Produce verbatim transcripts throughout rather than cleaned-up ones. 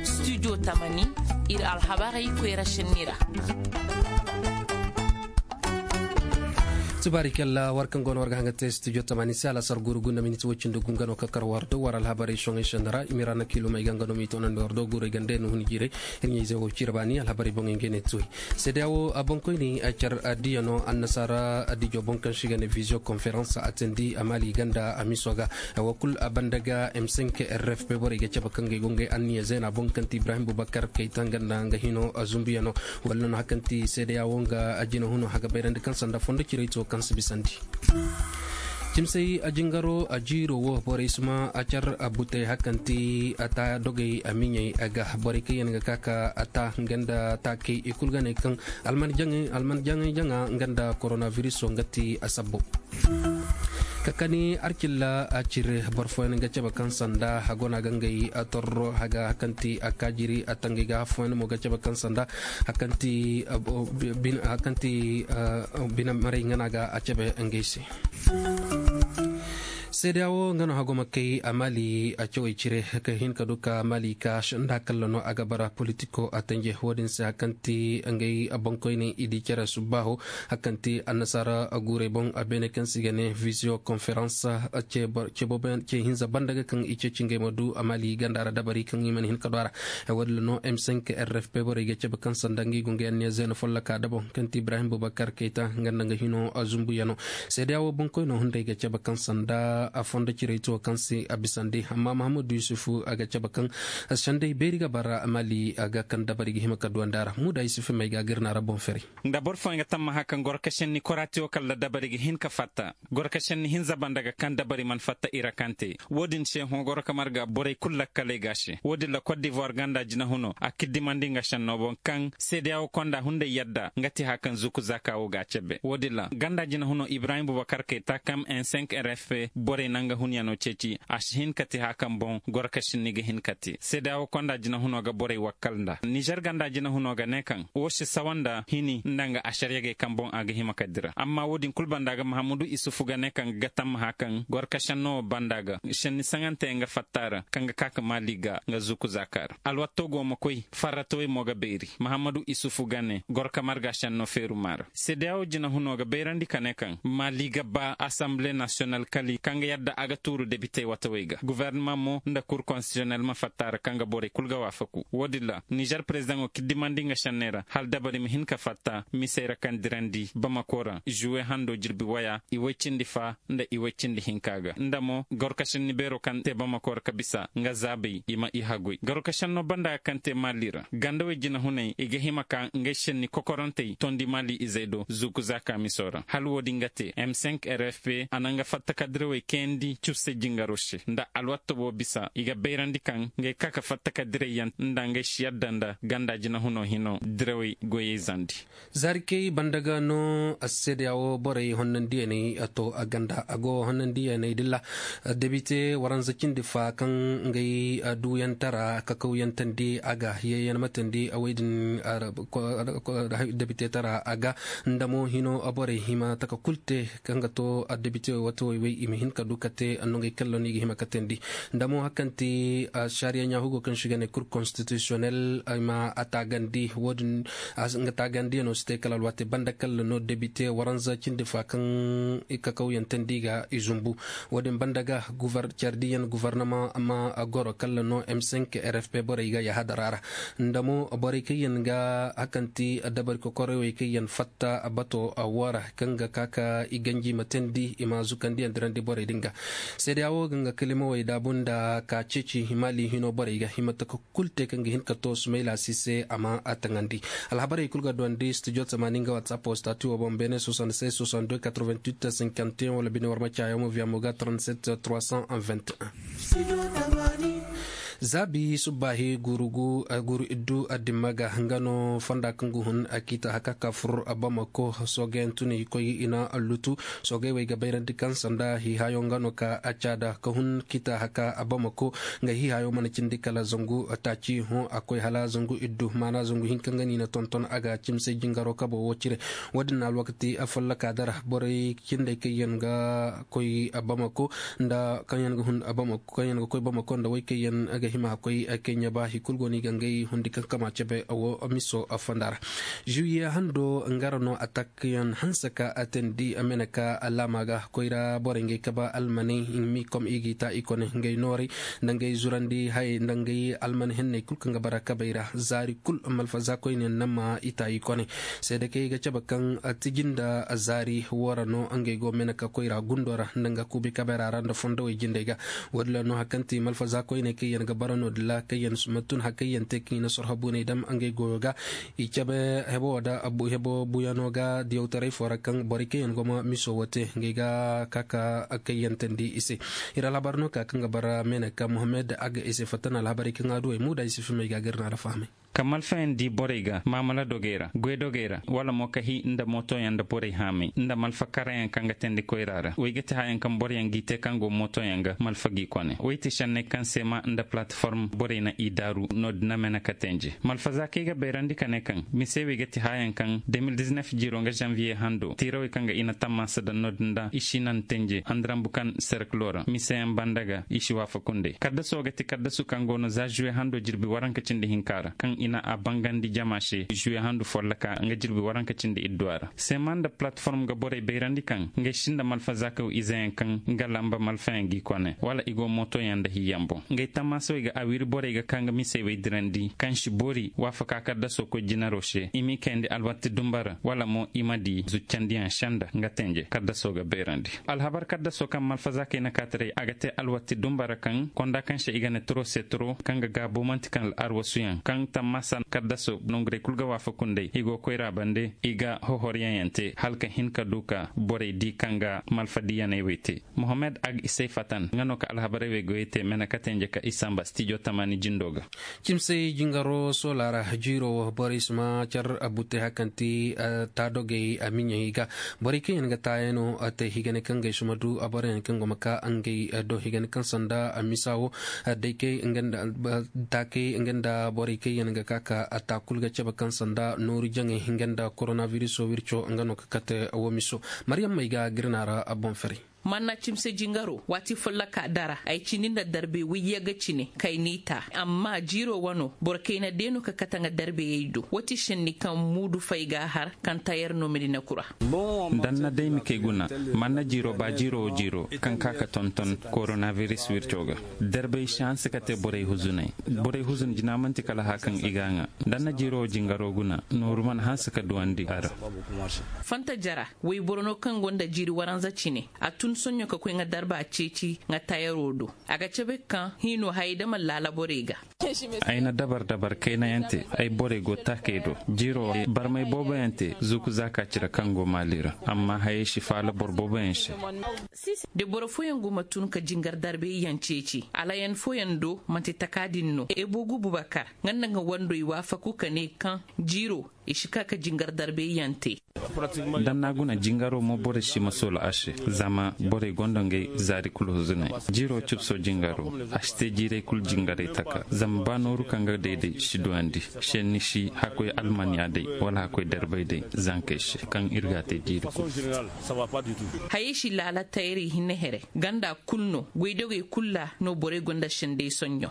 Studio tamani, iri alhabarey koyra senni ra. Tubaari kalla war kaŋ go no war ga hanga te studio tamani se alasar guru gunda miniti wacin da gungano ka kar war da war alhabarey soŋay senni ra i ma ra na kilo may ga nga no mi tonandi war do gurey ganda no huni jiray. Iri ɲayze wo cire baani alhabarey boŋey ngey ne tuwey. Seedeya wo a boŋkoyne a car a diya no annasaara a dijo boŋ kaŋ se i ga ne visio konferans a teendi a maali ganda a miso ga. Wo kulu a banda ga m cinq r f p borey ga cabe kaŋ ga ay go ngey anniya zeena boŋ kaŋ ti ibrahim bubakar kayta nga nda nga hino a zumbuyaŋo. Wala no hari kaŋ ti seedeya wo nga a jina huno haga bayrandi kaŋ sanda fondo ciray to kaŋ si bisandi. Cimsay a jingaro a jiiro wo borey si ma a car a butey hari kaŋ ti a ta dogey a miɲey a ga borey kaŋ yaŋ ga ka ka a ta nga nda taakey i kulu ga ne kaŋ alman jaŋay jaŋa nga nda koronaviruso nga ti a sabbo. Ka kani arcilla a cire boro fooyaŋ ga cabe kaŋ sanda a go no a ga ngey a torro haga hari kaŋ ti a kaajiri a tangey ga hari fooyaŋ mo ga cabe kaŋ sanda hari kaŋ ti bine marey nga no a ga a cabe ngey se. Seedeya wo nga no hago ma kay a maali a cawey cire ka hin ka du ka maali ka sanda kalla no a ga bara politiko a tanje wo- din se hari kaŋ ti ngey boŋkoyne i di care subbaaho hari kaŋ ti annasaara guurey boŋ a beene kaŋ se i ga ne visio konferans. Ce hinza banda ga kaŋ i ceeci ngey ma du a maali ganda ra dabari kaŋ i mana hin ka du a ra. Wo- din no m cinq r f p borey ga cabe kaŋ sanda ngey go ngey anniya zeena folloka da boŋ kaŋ ti ibrahim bubakar kayta nga nda nga hino a zumbuyaŋo. Seedeya wo boŋkoyno hunday ga cabe kaŋ sanda a fondo ciray to kaŋ se a bisandi amma mahammadu yusufu a ga cabe kaŋ senday beeri ga bara maali a ga kaŋ dabari ga hima ka duwandi a ra muda yusufu may ga ga iri na ra boŋ feray. Nda boro fooyaŋ ga tammaha kaŋ goro ka senni koraatiyo kala dabari ga hin ka fatta goro ka senni hinza banda ga kaŋ dabari mana fatta i ra kaŋ te. Wo- din se hõ goro ka marga borey kulu lakkaley ga se wo- din ra kot divoir ganda jinahuno a kiddimandi nga senno boŋ kaŋ seedeya wo konda hunday yadda nga ti haya kaŋ zuku zaaka wo ga a cabe wo- din ra ganda jinahuno ibrahim bubakar kayta kaŋ m cinq r f p borey nanga hunyaŋo ceeci a si hin ka ti haya kaŋ boŋ goro ka sinni ga hin ka te seedeya wo konda jinahuno ga borey wakkal nda nizer ganda jinahuno ga ne kaŋ wo si sawa nda hini nda nga asariyagey kaŋ boŋ a ga hima ka dira amma wo- din kulu banda ga mahammadu isufu ga ne kaŋ ga tamma haya kaŋ goro ka senno wo banda ga senni saŋante nga fatta ra kaŋ ga ka ka maali ga nga zuku zaaka ra alwatto go ma koy farratawey mo ga beeri mahammadu isufu ga ne goro ka marga senno feeru maara seedeya wo jinahuno ga bayrandi ka ne kaŋ maali ga ba asamble nasiyonal kali kaŋ ga yadda a ga tuuru debitey watawey ga guvernama mo nda kur konstitisyonel ma fatta ra kaŋ ga borey kulu ga waafaku wo- din ra nizer perezidaŋo kiddimandi nga senney ra hala dabari ma hin ka fatta misey ra kaŋ dirandi bamako ra zuwe hando jirbi waya i way cindi fa nda i way cindi hinka ga nda mo goro ka senni beero kaŋ te bamako ra ka bisa nga zaabey i ma i haguy goro ka senno banda ga kaŋ te maali ra gandawey jinahuney i ga hima ka ngey senni kokorantey tondi maali izey do zuku zaaka miso ra hala wo- din ga te m cinq r f p a na nga fatta ka dirawey kayandi cufse jingaro se nda alwatta wo bisa i ga bayrandi kaŋ ngey ka ka fatta ka dirayyaŋ nda ngey si yadda nda ganda jinahuno hino dirawey goyey zandi. Zaari kay banda ga no a si seedeya wo borey honnandiyaney a to a ganda a go honnandiyaney dilla debite waranza cindi fa kaŋ ngey duuyantara kakawyaŋ tandi a ga yeeyaŋ ma tandi a way din debite tara a ga nda mo hino borey hima taka kulu te kaŋ ga to debite wato way way i ma hin ka du ka te no ngey kallon i ga hima ka tandi nda mo hari kaŋ ti sariya ɲaahugo kaŋ se i ga ne kur konstitisiyonel i ma a taagandi wo- din nga taagandiyano si te kala alwaati banda kala no debite waranza cindi fa kaŋ i kakawyaŋ tandi ga i zumbu wo- din banda ga care diyaŋ guvarnama ma goro kala no m cinq r f p borey ga yahadara ra nda mo borey kaŋ yaŋ ga hari kaŋ ti dabari kokorey wey kaŋ yaŋ fatta bato wo ra kaŋ ga ka ka i ganji ma teendi i ma zukandiyaŋ dirandi borey din ga seedeya wo ga nga kalimawey daabu nda ka ceeci maali hino borey ga i ma taka kulu te kaŋ ga hin ka to sumayla si se a ma a taŋandi alhabarey kulu ga duwandi studio tamaani nga whatsapp wo stati wo boŋ beene soixante-seize soixante-deux quatre-vingt-huit cinquante et un wala bine war ma caayaŋ mo via mo ga trente-sept trois cent vingt et un. Zaabi subbaahi guru iddu addimma ga nga no fonda kaŋ ga hun a kiita haka ka fur bamako. Soogayaŋ tun i koy i na allutu. Soogay wey ga bayrandi kaŋ sanda hiihayo nga no ka a caada ka hun kiita haka bamako. Nga hiihayo mana cindi kala zangu taaci hõ a koy hala zangu iddu maana zangu hinka nga no i na tonton a ga cimsay jingaro kabo wo cire. Wo- din na alwakati afolloka dara borey cindey kaŋ yaŋ ga koy bamako nda kaŋ yaŋ ga hun bamako kaŋ yaŋ ga koy bamako nda wey kaŋ yaŋ ga hima a koy kaŋ ya ba hari kulu go no i ga ngey hundi kaŋ kama cabe wo miso fonda ra. Zuwiye hando nga ra no atak yaŋ hanse ka a teendi a mene ka laama ga koy ra borey ngey kabe almaney. Mikom i g'i ta i kone ngey noorey nda ngey zurandi hayey nda ngey alman henney kulu kaŋ ga bara kabey ra zaari kulu malfaza koyne nama i ta i kone. Seedakey ga cabe kaŋ tiji nda zaari wo ra no ngey go mene ka koy ra gundo ra nda nga kuubi kabey ra ra nda fondowey jindey ga. Wo- din ra no hari kaŋ ti malfaza koyney kaŋ yaŋ ga bara no- din ra kaŋ yaŋ suma tun hari kaŋ yaŋ te kaŋ i na sorho buuney dam ngey goyo ga. I cabe hebo wo da hebo buuyano ga diyawtaray fo ra kaŋ borey kaŋ yaŋ go ma miso wo te ngey ga ka ka kayyantandi i se. Iri alhabar no ka kaŋ ga bara mene ka mohammed a ga i se fatta na alhabarey kaŋ a duwey muuda i si fimey ga ga iri na a ra fahamay. Ka malfayaŋ di borey ga maamala dogey ra goy dogey ra wala mo ka hi nda mootoyaŋ nda borey haamay nda malfa karayaŋ kaŋ ga teendi koyra ra wey ga ti hayaŋ kaŋ boroyaŋ g'i te kaŋ go mootoyaŋ ga malfa g'i kone wey ti senney kaŋ seema nda palateform borey na i daaru no- din a mene ka teenje malfaza kaŋ ay ga bayrandi ka ne kaŋ mise wey ga ti hayaŋ kaŋ de mil diznef jiiro nga zanviye hando tiirawey kaŋ ga i na tammaasa daŋ no- din da i si naŋ teenje andarambu kaŋ serkilo ra miseyaŋ banda ga i si waafaku nd'ey kaddaso ga ti kaddasu kaŋ go no za zuwe hando jirbi waranka cindi hinka ra kaŋ i na a bangandi jama se zuwe handu folloka nga jirbi waranka cindi idduwa ra seema nda palateform ga borey bayrandi kaŋ ngey sinda malfaza kaw izeyaŋ kaŋ nga lamba malfayaŋ g'i kone wala i go mootoyaŋ nda hiyaŋ boŋ ngey tammaasawey ga a wiri borey ga ka nga misey wey dirandi kaŋ si boori waafaka kaddaso koy jinaro se i m'i kayandi alwatti dumba ra wala mo i ma di zuccandiyaŋ senda nga tenje kaddaso ga beerandi. Alhabar kaddaso kaŋ malfazaakey na kaataray a ga te alwatti dumba ra kaŋ konda kaŋ se i ga ne turo se turo kaŋ ga gaabo manti kaŋ al'arwasuyaŋ kaŋ tammaasa kaddaso nongurey kulu ga waafaku nd'ey i go koyra bande i ga hohoryaŋ yaŋ te hala ka hin ka du ka borey di kaŋ ga malfa diyaney wey te. Mohammed ag isey fatan nga no ka alhabarey wey goyey te mene ka tenje ka i samba stijo tamani jindo ga. Cimsey jingaro soola ra jiiro wo borey si ma care abbutey hari kaŋ ti taadogey a miɲey ga. Borey kaŋ yaŋ ga taayano te higane kaŋ gay si ma du a boro yaŋ kaŋ go ma ka ngey do higane kaŋ sanda a misa wo. Day kay nga nda taakey nga nda borey kaŋ yaŋ ga ka ka a ta kulu ga cabe kaŋ sanda nooru jaŋey nga nda korona viriso wirco nga no ka kate wo miso. Maryam may ga girna ra a boŋ ferey. Manna cimse jingaro waati folloka dara ay cindi nda darbe wayyaga cine kay n'i ta. Amma jiiro wano boro kayna deeno ka kate nga darbeyey do wati senni kaŋ muudu fay ga a har kaŋ tayar no medina kura. Danna day ma kay guna. Manna jiiro ba jiiro wo jiiro kaŋ ka ka tonton koronaviris wirco ga. Darbey si hanse ka te borey huzuney. Borey huzun jina manti kala hã kaŋ i ga a ŋa. Danna jiiro wo jingaro guna nooru mana hanse ka duwandi a ra. Fanta jara wayboro no kaŋ gonda jiiri waranza cine a tun soɲo ka koy nga darba ceeci nga tayaro do. A ga cabe kaŋ hiino hayey da mana laala borey ga. Ay na dabar dabar kayna yaŋ te. Ay borey go taakey do. Jiiro wo barmay boobo yaŋ te zuuku zaaka cire kaŋ go maali ra. Amma hayey si faala boro boobo yaŋ se. Da boro fooyaŋ go ma tun ka jingar darbey yaŋ ceeci alayan fooyaŋ do manti taka din no ebo gubu bakar nga nda nga wando i waafaku ka ne kaŋ jiiro i si ka ka jingar darbey yaŋ te. Danna guna jingaro mo borey si ma soola a se. Zama borey gonda ngey zaari kulu huzunay. Jiiro cubso jingaro a si te jiirey kulu jingarey taka zama ba nooru kaŋ ga day day si duwandi. Senni si hakkoy almaniya day wala hakkoy darbay day zankey se kaŋ iri ga a te jiiri kulu. Hayey si laala tayrey hinne here ganda kulu no goydogey kulu ra no borey gonda senday sonɲo.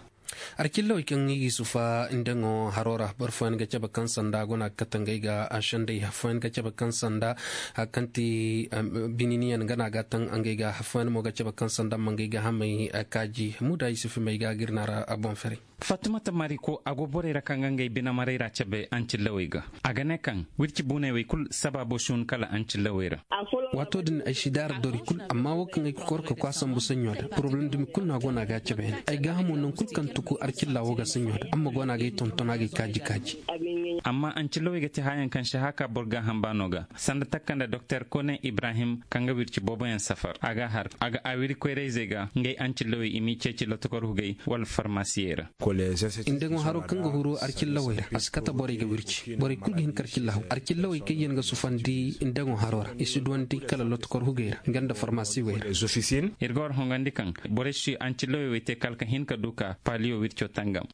Arcillawey kaŋ i ga i sufa nda ŋo haro ra boro fooyaŋ ga cabe kaŋ sanda guna ga kate ngey ga a senday hari fooyaŋ ga cabe kaŋ sanda hari kaŋ ti bininiyaŋ gana ga taŋ ngey ga hari fooyaŋ mo ga cabe kaŋ sanda ma ngey ga hamey kaaji muda i sufa may ga ga iri na ra a boŋ ferey. Fattumata mariko a go borey ra kaŋ ga ngey bine marey ra cabe ancillawey ga. A ga ne kaŋ wirci buuney wey kulu sabaabo si hun kala ancillawey ra. Waato din ay si daara dori kulu amma wo kaŋ ay ga kor ka koy a sambu saɲɲo da poroblem dumi kulu no a go no a ga a cabe ay ga hamo nangu kulu kaŋ tuku arcilla wo ga saɲɲo da amma go no a ga ay tonton a ga ay kaaji kaaji. Amma ancillawey ga ti haayaŋ kaŋ si haka boro gaaham baano ga sanda takka nda doktor kone ibrahim kaŋ ga wirci booboyaŋ safar a ga a har a ga a wiri koyrayzey ga ngey ancillawey i m'i ceeci lotokor hugey wala farmasiyey ra. Ndeŋo haro kaŋ ga huru arcillawey ra a si kate borey ga wirci borey kulu ga hin ka arcilla haw arcillawey kaŋ yaŋ ga sufandi ndeŋo haro ra i si duwandi kala lotokor hugey ra nga nda farmasiwey ra. Iri ga war hongandi kaŋ borey si ancillawey wey te kala ka hin ka du ka paliyo wirco tangam.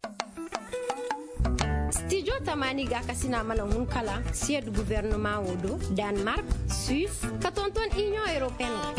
Stijo tamani ga kasina mana hun kala siyad guvernoma wo do, danmark, suis, ka tonton union européenne.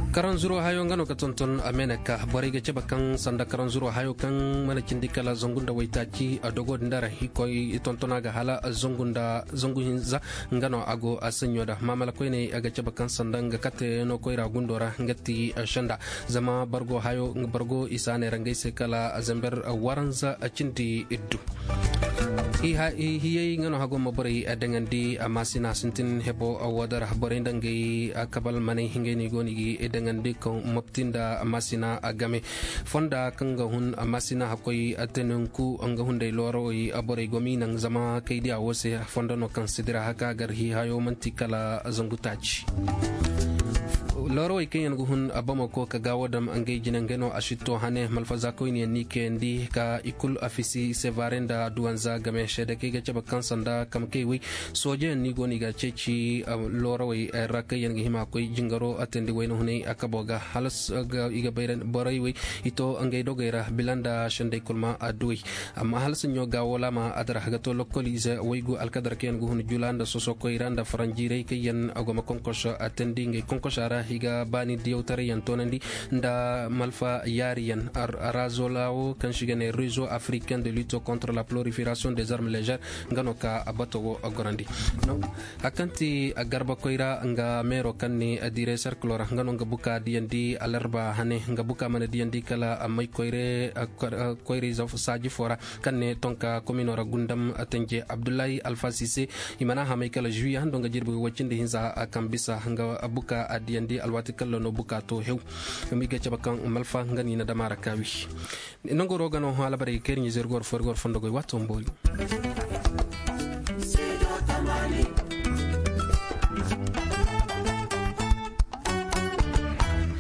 Karanzuro hayo nga no ka tonton a mene ka borey ga cabe kaŋ sanda karanzuro hayo kaŋ mana cindi kala zangu nda waytaaci a dogo din dara i koy i tontona ga hala zangu nda zangu hinza. Nga no a go a sanyo da mamala koyne a ga cabe kaŋ sanda nga kate no koyra gundo ra nga ti sanda zama bargo hayo bargo isa ne rangay se kala zamber waranza cindi iddu. Hiyey nga no hago ma borey daŋandi a masina sintin hebo wadara borey nda ngay kabal manay hingay ni go ni gi daŋandi ka mopti nda masina a game fonda kaŋ ga hun masina hakkoy teninku nga hunday loorowey borey go ma i naŋ zama kay diya wo se fondo no kaŋ si dira haka gar hi hayo manti kala zangu taaci. Loorowey kaŋ yaŋ ga hun bamo ko ka gaawo dam ngey jine ngey no a sitto hane malfaza koyne yaŋ ni kayandi ka i kulu afisi sevare nda duwanza game seede kaŋ i ga cabe kaŋ sanda kamkey wey sooje yaŋ ni go no i ga ceeci loorowey ra kaŋ yaŋ ga hima koy jingaro atandi wayna hunay a kabo ga halas i ga borey wey i to ngey dogey ra bila nda sendey kulma adduwey. Amma hala sanyo gaawo laama a dara ga to lokkol ize waygu alkadar kaŋ yaŋ ga hun jula nda soso koyra nda faranjiirey kaŋ yaŋ a go ma konkos a teendi ngey konkosa ra i ga baani diyawtaray yaŋ toonandi nda malfa yaari yaŋ. Razolawo kaŋ si ga ne réseau africain de lutte contre la prolifération des armes légères nga no ka bato wo gorandi. Hari kaŋ ti garba koyra nga meero kaŋ ne diiray serkilo ra nga no nga buka diyandi alarba hane nga buka mana diyandi kala may koyre koyre saaji fo ra kaŋ ne tonka komino ra gundam tanje abdullahi alfasi se. I mana hamay kala juwiya hando nga jirbi way cindi hinza kaŋ bisa nga buka a diyandi alwaati kala no buka to hew. Zama i ga cabe kaŋ malfa nga no i na dama ra kaawi. Nangoro ga no halabarey ga kayri ɲizer goro fo iri goro fondo goy waato ma boori.